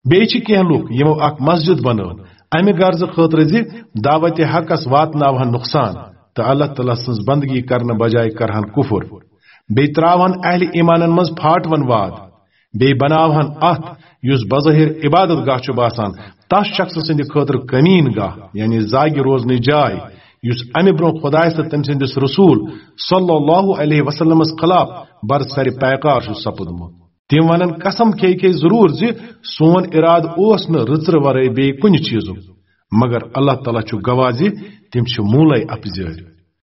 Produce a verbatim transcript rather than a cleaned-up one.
بیٚیہِ چھِ کینٛہہ لوٗکھ یِمو اکھ مسجد بنٲو امہِ غرضہٕ خٲطرٕ زِ دعوتِ حقس واتناوہن نۄقصان تہٕ اللہ تعالیٰ سٕنٛز بندگی کرنہٕ بجایہِ کرہن کفر۔ بیٚیہِ تراوہن اہلِ ایمانن منٛز پھاٹوَن واد۔ بیٚیہِ بناوہن اتھ، یُس بظٲہر عبادت گاہ چھُ باسان، تس شخصہٕ سٕنٛدِ خٲطرٕ کمین گاہ، یعنی زاگہِ روزنٕچ جاے، یُس امہِ برونٛہہ خدایس تہٕ تٔمۍ سٕنٛدِس رسول صلی اللہ علیہ وسلمس خلاف برسرِ پیکار چھُ سپُدمُت۔ تِم ونن قسم کھے کھے ضروٗر زِ سون ارادٕ اوس نہٕ رٕژرٕ ورٲے بیٚیہِ کُنہِ چیٖزُک، مگر اللہ تعالیٰ چھُ گواہ زِ تِم چھِ موٗلے اپزٲرۍ۔